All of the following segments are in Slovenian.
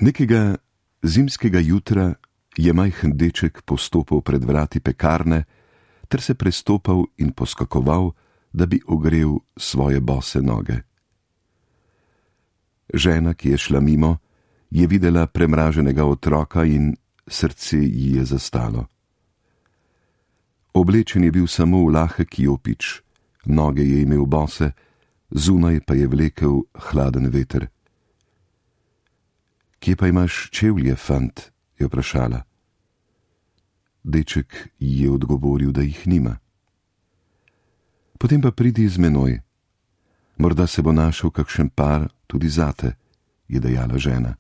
Nekega zimskega jutra je majhen deček postopal pred vrati pekarne ter se prestopal in poskakoval, da bi ogrel svoje bose noge. Žena, ki je šla mimo, je videla premraženega otroka in srce ji je zastalo. Oblečen je bil samo v lahek jopič, noge je imel bose, zunaj pa je vlekel hladen veter. Kje pa imaš čevlje, fant? Je vprašala. Deček ji je odgovoril, da jih nima. Potem pa pridi z menoj. Morda se bo našel kakšen par tudi zate, je dejala žena.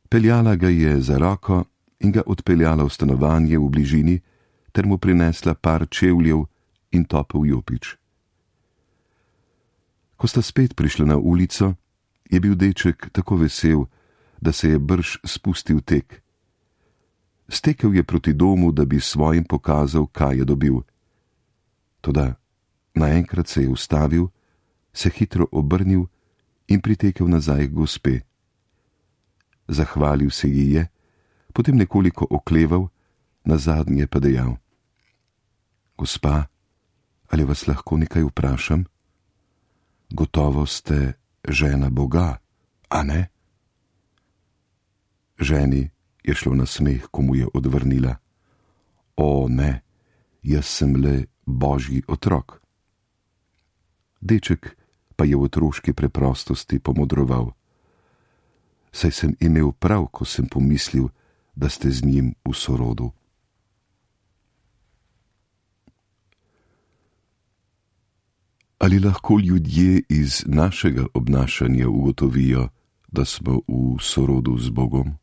Peljala ga je za roko in ga odpeljala v stanovanje v bližini ter mu prinesla par čevljev in topel jopič. Ko sta spet prišla na ulico, je bil deček tako vesel, da se je brž spustil tek. Stekel je proti domu, da bi svojim pokazal, kaj je dobil. Toda naenkrat se je ustavil, se hitro obrnil in pritekel nazaj k gospe. Zahvalil se ji je, potem nekoliko okleval, nazadnje pa dejal: Gospa, ali vas lahko nekaj vprašam? Gotovo ste žena Boga, a ne? Ženi je šlo na smeh, ko mu je odvrnila: O ne, jaz sem le Božji otrok. Deček pa je v otroški preprostosti pomodroval: Saj sem imel prav, ko sem pomislil, da ste z njim v sorodu. Ali lahko ljudje iz našega obnašanja ugotovijo, da smo v sorodu z Bogom?